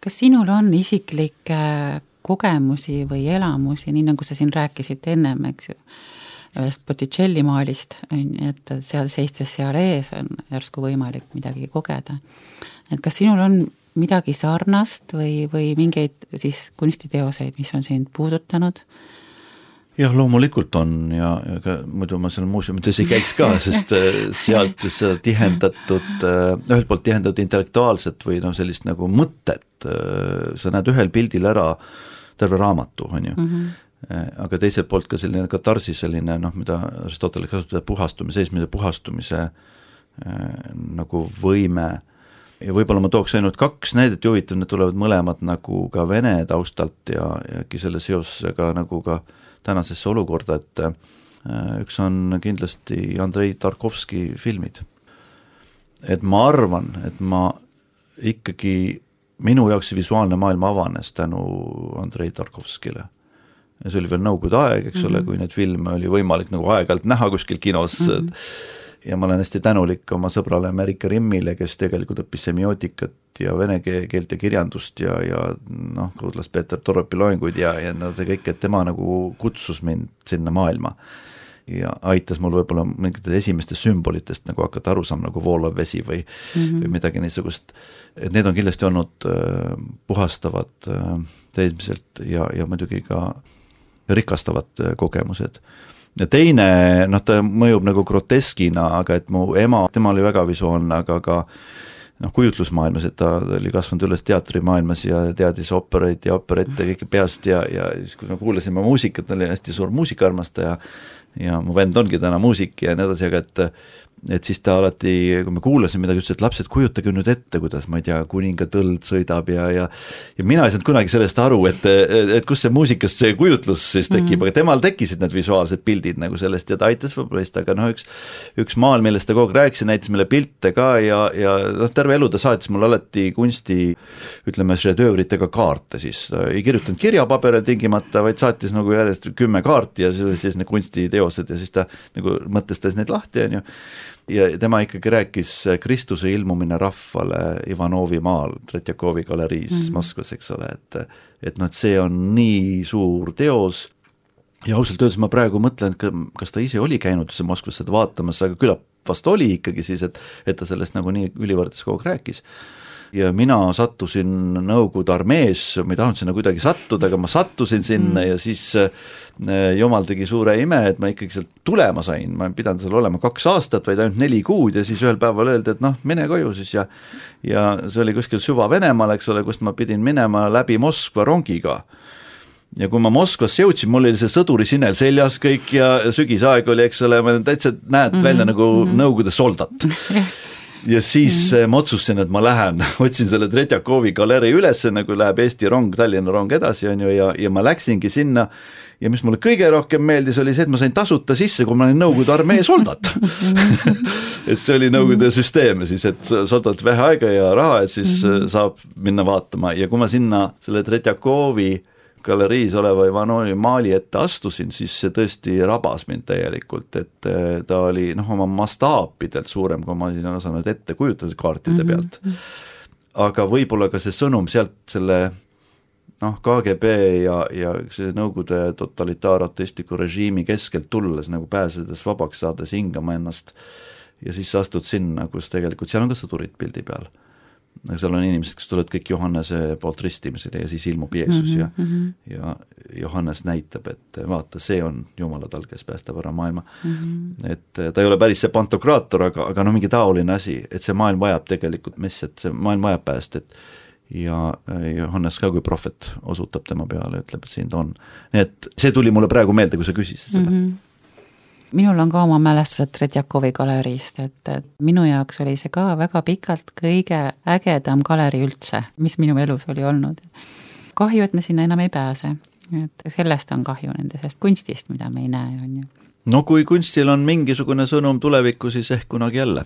S2: Kas sinul on isiklikke kogemusi või elamusi, nii nagu sa siin rääkisid ennem, eks ju, ühest Botticelli maalist, et seal seistes seal ees on järsku võimalik midagi kogeda. Et kas sinul on midagi sarnast või mingeid siis kunstiteoseid, mis on sind puudutanud?
S3: Jah, loomulikult on ja muidu ma seal muuseumites ei käiks ka, sest sealt just seda tihendatud, ühelt poolt tihendatud intellektuaalset või sellist nagu mõtet, sa näed ühel pildil ära terve raamatu, on ju. Aga teiselt poolt ka selline katarsi selline, mida Aristoteles kasutada seismise puhastumise nagu võime. Ja võib-olla ma tooks ainult 2 näidet huvitav, need tulevad mõlemad nagu ka vene taustalt ja äkki selle seosega nagu ka tänasesse olukorda, et üks on kindlasti Andrei Tarkovski filmid. Et ma arvan, et ma ikkagi, minu jaoks see visuaalne maailm avanes tänu Andrei Tarkovskile. Ja see oli veel nõukogude aeg, eks ole, kui neid filme oli võimalik nagu aeg-ajalt näha kuskil kinos. Ja ma olen hästi tänulik oma sõbrale Merike Rimmile, kes tegelikult õppis semiootikat ja vene keelt ja kirjandust ja kuulas Peeter Toropi loenguid ja see kõik, et tema nagu kutsus mind sinna maailma ja aitas mul võib-olla mingitest esimestest sümbolitest nagu hakata aru saama nagu voolav vesi või midagi niisugust. Et need on kindlasti olnud puhastavad teismiselt ja muidugi ka rikastavad kogemused. Ja teine, ta mõjub nagu groteskina, aga et mu ema, tema oli väga visuaalne, aga ka kujutlusmaailmas, et ta oli kasvanud üles teatrimaailmas ja teadis opereid ja operette kõike peast ja siis kui me kuulasime muusikat, ta oli hästi suur muusikaarmastaja ja mu vend ongi täna muusik ja nii edasi, aga et siis ta alati, kui me kuulasime midagi, ütles, et lapsed, kujutage nüüd ette, kuidas, ma ei tea, kuninga tõld sõidab ja mina ei saanud kunagi sellest aru, et kus see muusikast see kujutlus siis tekib, aga temal tekkisid need visuaalsed pildid nagu sellest ja ta aitas võib-olla, aga üks maal, millest ta kogu aeg rääkis, näitas meile pilte ka ja terve elu ta saatis mul alati kunsti, ütleme, šedöövritega kaarte siis, ei kirjutanud kirjapaberil tingimata, vaid saatis nagu järjest 10 kaarti ja siis need kunstiteosed ja siis ta nagu mõtestas neid lahti, on ju. Ja tema ikkagi rääkis Kristuse ilmumine rahvale Ivanovi maal, Tretjakovi galeriis Moskvas, eks ole, et see on nii suur teos ja ausalt öeldes ma praegu mõtlen, kas ta ise oli käinud Moskvas seda vaatamas, aga küllap vast oli ikkagi siis, et ta sellest nagu nii ülivõrdes kogu rääkis. Ja mina sattusin Nõukogude armees, ma ei tahtnud sinna kuidagi sattuda, aga ma sattusin sinna ja siis Jumal tegi suure ime, et ma ikkagi sealt tulema sain, ma ei pidanud seal olema 2 aastat, vaid ainult 4 kuud ja siis ühel päeval öeldi, et mine koju siis ja see oli kuskil süva Venemaal, eks ole, kust ma pidin minema läbi Moskva rongiga. Ja kui ma Moskvasse jõudsin, mul oli see sõduri sinel seljas kõik ja sügisaeg oli, eks ole, ma täitsa näed välja nagu Nõukogude soldat. Ja siis ma otsustasin, et ma lähen, otsin selle Tretjakovi galerii üles, nagu läheb Eesti rong, Tallinna rong edasi on ju, ja ma läksingi sinna ja mis mulle kõige rohkem meeldis, oli see, et ma sain tasuta sisse, kui ma olin Nõukogude armee soldat. Et see oli Nõukogude süsteem siis, et soldat vähe aega ja raha, et siis saab minna vaatama ja kui ma sinna selle Tretjakovi galeriis oleva Ivanovi maali ette astusin, siis see tõesti rabas mind täielikult, et ta oli oma mastaapidelt suurem, kui ma siin osanud ette kujutada kaartide pealt. Aga võib-olla ka see sõnum sealt selle KGB ja see Nõukogude totalitaar-ateistliku režiimi keskelt tulles, nagu pääsedes vabaks saades hingama ennast ja siis astud sinna, kus tegelikult seal on ka sõdurid pildi peal. aga seal on inimesed, kes tulevad kõik Johannese poolt ristimisele ja siis ilmub Jeesus ja Johannes näitab, et vaata, see on Jumala tal, kes päästab ära maailma. Et ta ei ole päris see pantokraator, aga mingi taoline asi, et see maailm vajab tegelikult messiat, see maailm vajab päästet ja Johannes ka kui prohvet osutab tema peale, ütleb, et siin ta on. Nii et see tuli mulle praegu meelde, kui sa küsisid seda.
S2: Minul on ka oma mälestused Tretjakovi galeriist, et minu jaoks oli see ka väga pikalt kõige ägedam galeri üldse, mis minu elus oli olnud. Kahju, et me sinna enam ei pääse, et sellest on kahju nendest kunstist, mida me ei näe, on ju.
S3: No kui kunstil on mingisugune sõnum tulevikku, siis ehk kunagi jälle.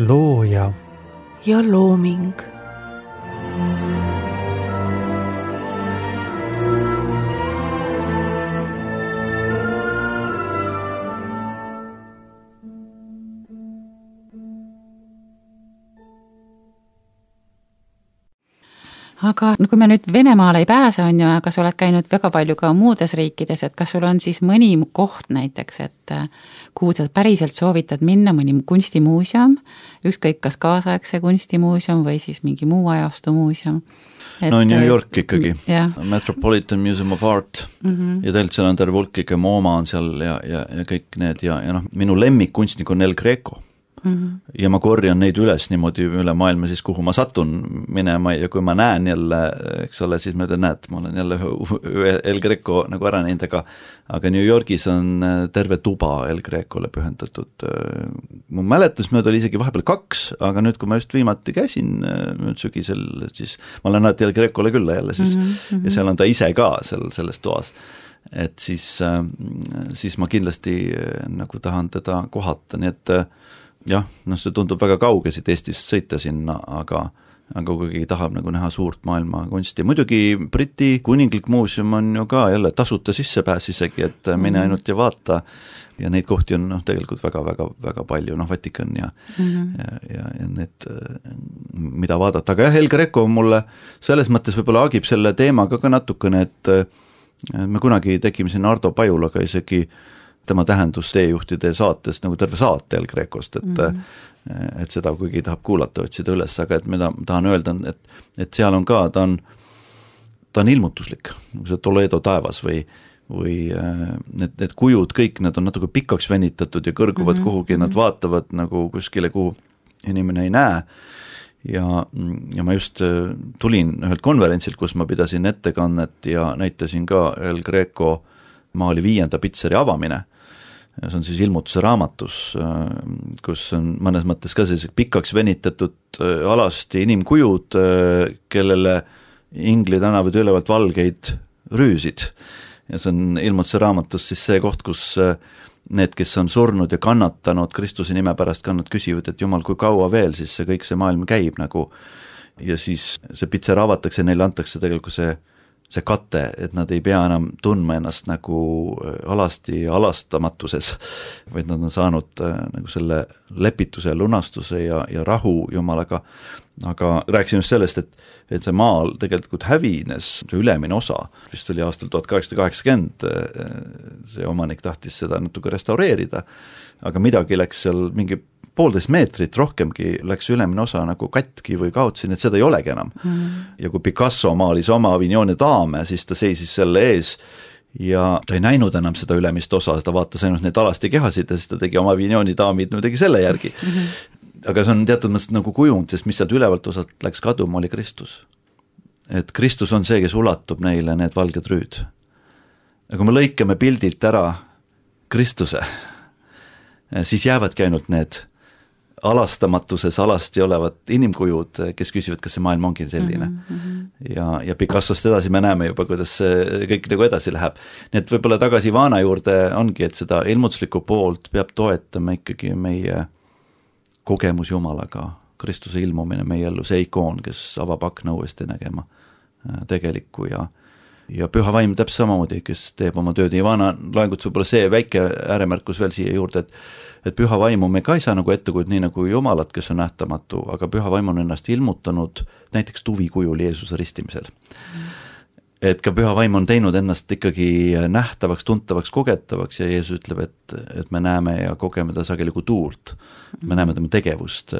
S1: looja
S4: ja looming.
S2: Aga kui me nüüd Venemaale ei pääse, on ju, aga sa oled käinud väga palju ka muudes riikides, et kas sul on siis mõni koht näiteks, et kuhu sa päriselt soovitad minna, mõni kunstimuuseum, ükskõik kas kaasaegse kunstimuuseum või siis mingi muu ajastu muuseum?
S3: No New York ikkagi, Metropolitan Museum of Art ja tegelikult seal on terve hulk, MoMA on seal ja kõik need ja minu lemmikkunstnik on El Greco. ja ma korjan neid üles niimoodi üle maailma siis, kuhu ma satun minema ja kui ma näen jälle, eks ole, siis ma ütlen, näed, ma olen jälle El Greco nagu ära näinud, aga New Yorgis on terve tuba El Grecole pühendatud. Mu mäletusmööda oli isegi vahepeal 2, aga nüüd, kui ma just viimati käisin nüüd sügisel, siis ma olen alati El Grecole külla jälle siis ja seal on ta ise ka selles toas. Et siis ma kindlasti nagu tahan teda kohata, nii et jah, see tundub väga kauge siit Eestist sõita sinna, aga kui keegi tahab nagu näha suurt maailma kunsti. Muidugi Briti kuninglik muuseum on ju ka jälle tasuta sissepääs isegi, et mine ainult ja vaata ja neid kohti on tegelikult väga palju, Vatikan ja need, mida vaadata. Aga jah, El Greco mulle selles mõttes võib-olla agib selle teemaga ka natukene, et me kunagi tegime siin Ardo Pajulaga isegi tema tähendus teejuhtide saates nagu terve saate El Grecost, et seda kuigi tahab kuulata, otsida üles, aga et mida tahan öelda, et seal on ka, ta on ilmutuslik, nagu see Toledo taevas või need kujud kõik, need on natuke pikaks venitatud ja kõrguvad kuhugi, nad vaatavad nagu kuskile, kuhu inimene ei näe ja ma just tulin ühelt konverentsilt, kus ma pidasin ettekannet ja näitasin ka El Greco maali 5. pitseri avamine. See on siis ilmutuse raamatus, kus on mõnes mõttes ka sellised pikaks venitatud alasti inimkujud, kellele Ingli tänavad ülevalt valgeid rüüsid. Ja see on ilmutuse raamatus siis see koht, kus need, kes on surnud ja kannatanud Kristuse nime pärast, nad küsivad, et Jumal, kui kaua veel siis see kõik see maailm käib nagu. Ja siis see pitser avatakse, neile antakse tegelikult see kate, et nad ei pea enam tundma ennast nagu alasti ja alastamatuses, vaid nad on saanud nagu selle lepituse, lunastuse ja rahu Jumalaga. Aga rääkisin just sellest, et see maal tegelikult hävines, see ülemine osa, vist oli aastal 1880, see omanik tahtis seda natuke restaureerida, aga midagi läks seal mingi 1,5 meetrit rohkemgi läks ülemine osa nagu katki või kaotsin, et seda ei olegi enam. Ja kui Picasso maalis oma Avignoni daame, siis ta seisis selle ees ja ta ei näinud enam seda ülemist osa, ta vaatas ainult neid alasti kehasid ja siis ta tegi oma Avignoni daamid, tegi selle järgi. Aga see on teatud mõttes nagu kujund, sest mis sealt ülevalt osalt läks kaduma, oli Kristus. Et Kristus on see, kes ulatub neile need valged rüüd. Ja kui me lõikame pildilt ära Kristuse, siis jäävadki ainult need alastamatuses alasti olevad inimkujud, kes küsivad, kas see maailm ongi selline. Ja Picassost edasi me näeme juba, kuidas see kõik nagu edasi läheb. Nii et võib-olla tagasi Vaana juurde ongi, et seda ilmutuslikku poolt peab toetama ikkagi meie kogemus Jumalaga, Kristuse ilmumine meie ellu, see ikoon, kes avab akna uuesti nägema tegelikku ja püha vaim täpselt samamoodi, kes teeb oma tööd. Ja Vaana loenguts võib-olla see väike ääremärkus veel siia juurde, et püha vaimu me ka ei saa nagu ette kujuda nii nagu Jumalat, kes on nähtamatu, aga püha vaim on ennast ilmutanud näiteks tuvikujul Jeesuse ristimisel. Et ka püha vaim on teinud ennast ikkagi nähtavaks, tuntavaks, kogetavaks ja Jeesus ütleb, et me näeme ja kogeme ta sageli kui tuult. Me näeme tema tegevust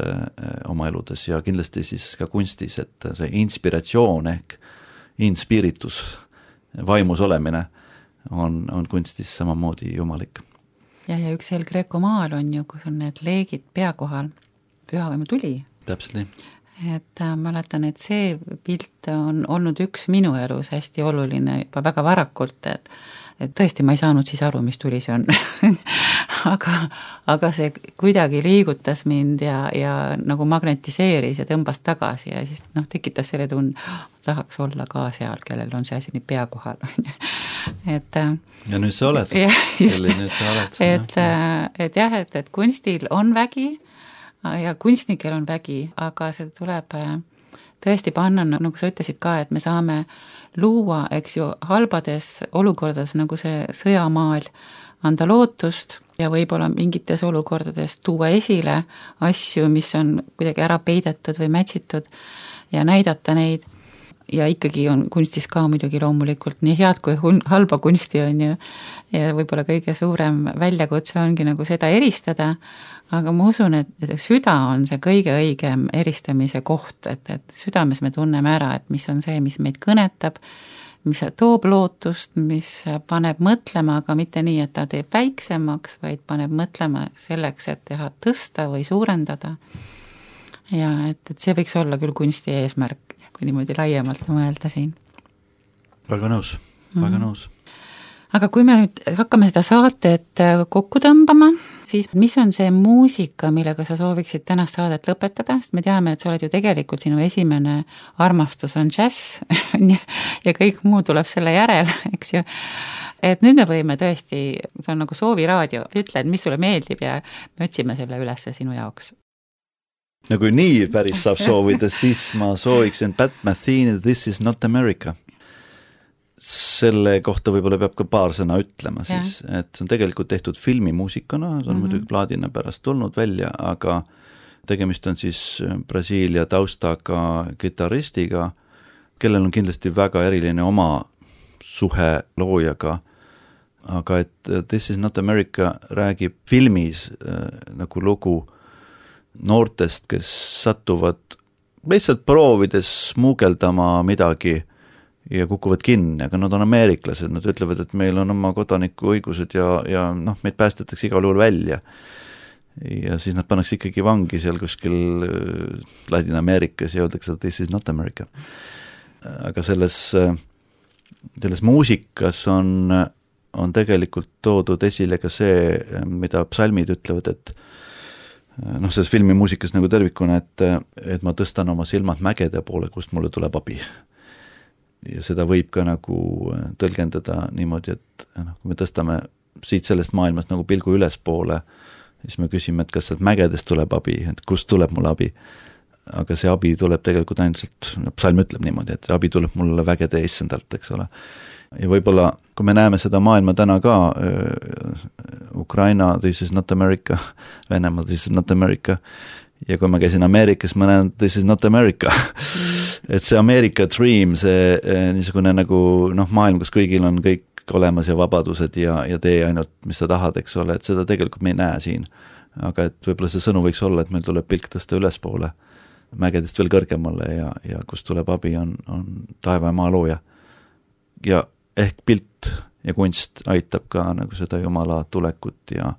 S3: oma eludes ja kindlasti siis ka kunstis, et see inspiratsioon ehk inspiritus, vaimus olemine on kunstis samamoodi jumalik.
S2: Ja üks El Greco maal on ju, kus on need leegid pea kohal, pühavaimu tuli.
S3: Täpselt nii.
S2: Et mäletan, et see pilt on olnud üks minu elus hästi oluline juba väga varakult, et tõesti ma ei saanud siis aru, mis tuli see on. aga see kuidagi liigutas mind ja nagu magnetiseeris ja tõmbas tagasi ja siis tekitas selle tunne, tahaks olla ka seal, kellel on see asi nii pea kohal.
S3: Ja nüüd sa oled.
S2: Et kunstil on vägi ja kunstnikel on vägi, aga see tuleb tõesti panna, nagu sa ütlesid ka, et me saame luua, eks ju, halbades olukordades nagu see sõjamaal, anda lootust ja võib-olla mingites olukordades tuua esile asju, mis on kuidagi ära peidetud või mätsitud ja näidata neid. Ja ikkagi on kunstis ka muidugi loomulikult nii head kui halba kunsti on ju ja võib-olla kõige suurem väljakutse ongi nagu seda eristada, aga ma usun, et süda on see kõige õigem eristamise koht, et südames me tunneme ära, et mis on see, mis meid kõnetab, mis toob lootust, mis paneb mõtlema, aga mitte nii, et ta teeb väiksemaks, vaid paneb mõtlema selleks, et teha tõsta või suurendada. Ja et see võiks olla küll kunsti eesmärk, kui niimoodi laiemalt mõelda siin.
S3: Väga nõus, väga nõus.
S2: Aga kui me nüüd hakkame seda saadet kokku tõmbama, siis mis on see muusika, millega sa sooviksid tänast saadet lõpetada, sest me teame, et sa oled ju tegelikult sinu esimene armastus on džäss ja kõik muu tuleb selle järel, eks ju. Et nüüd me võime tõesti, see on nagu sooviraadio, ütle, et mis sulle meeldib ja me otsime selle üles sinu jaoks.
S3: No kui nii päris saab soovida, siis ma sooviksin Pat Metheny This is not America. Selle kohta võib-olla peab ka paar sõna ütlema siis, et see on tegelikult tehtud filmimuusikana, see on muidugi plaadina pärast tulnud välja, aga tegemist on siis Brasiilia taustaga kitaristiga, kellel on kindlasti väga eriline oma suhe loojaga, aga et This is not America räägib filmis nagu lugu noortest, kes satuvad lihtsalt proovides smuugeldama midagi ja kukuvad kinni, aga nad on ameeriklased, nad ütlevad, et meil on oma kodanikuõigused ja noh, meid päästetakse igal juhul välja. Ja siis nad pannakse ikkagi vangi seal kuskil Ladina-Ameerikas ja öeldakse, et this is not America. Aga selles muusikas on tegelikult toodud esile ka see, mida psalmid ütlevad, et noh, selles filmi muusikas nagu tervikuna, et ma tõstan oma silmad mägede poole, kust mulle tuleb abi. Ja seda võib ka nagu tõlgendada niimoodi, et kui me tõstame siit sellest maailmast nagu pilgu ülespoole, siis me küsime, et kas sealt mägedest tuleb abi, et kust tuleb mulle abi. Aga see abi tuleb tegelikult ainult, psalm ütleb niimoodi, et abi tuleb mulle vägede issandalt, eks ole. Ja võib-olla, kui me näeme seda maailma täna ka, Ukraina, this is not America, Venemaa, this is not America, ja kui ma käisin Ameerikas, ma näen, this is not America. Et see America Dream, see niisugune nagu maailm, kus kõigil on kõik olemas ja vabadused ja tee ainult, mis sa tahad, eks ole, et seda tegelikult me ei näe siin. Aga et võib-olla see sõnu võiks olla, et meil tuleb pilk tõsta ülespoole, mägedest veel kõrgemale ja kus tuleb abi, on taeva ja maa looja. Ja ehk pilt ja kunst aitab ka nagu seda Jumala tulekut ja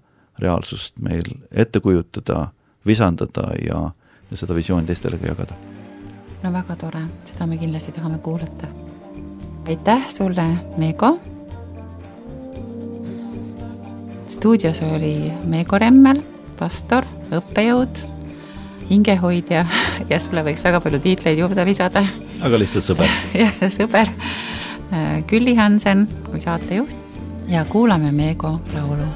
S3: reaalsust meil ette kujutada, visandada ja seda visiooni teistele ka jagada.
S2: No väga tore, seda me kindlasti tahame kuulata. Aitäh sulle, Meego. Stuudios oli Meego Remmel, pastor, õppejõud, hingehoidja ja sulle võiks väga palju tiitleid juurde lisada.
S3: Aga lihtsalt sõber.
S2: Jah, sõber. Külli Hansen kui saatejuht ja kuulame Meego laulu.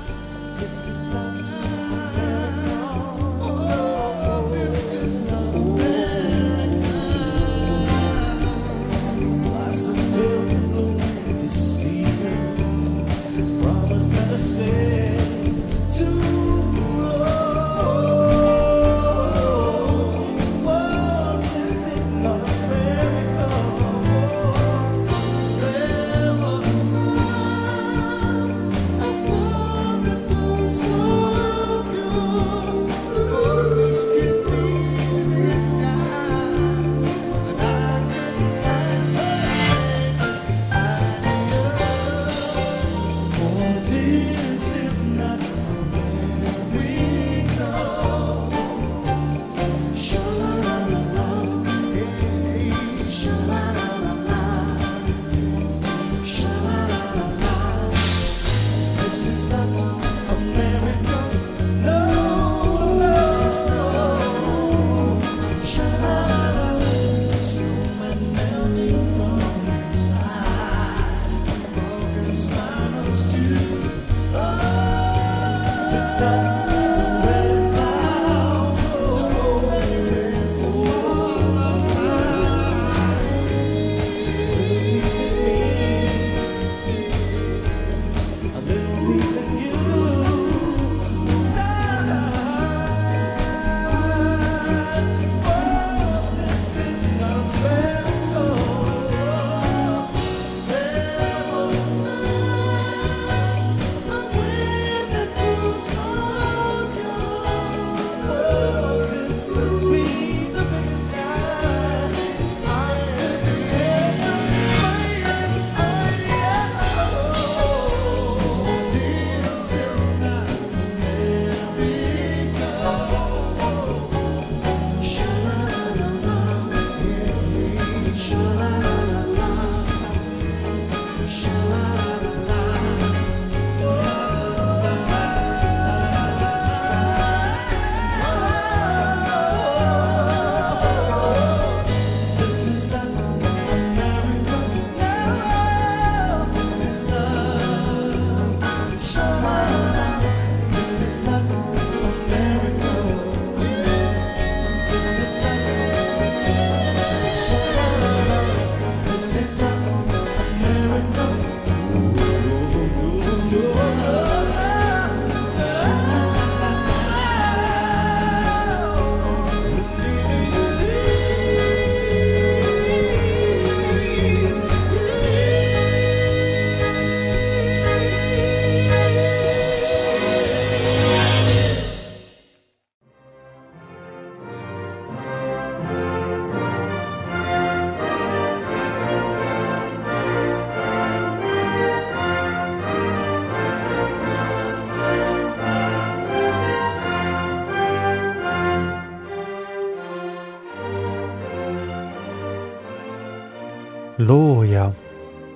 S1: looja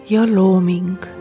S4: ja looming.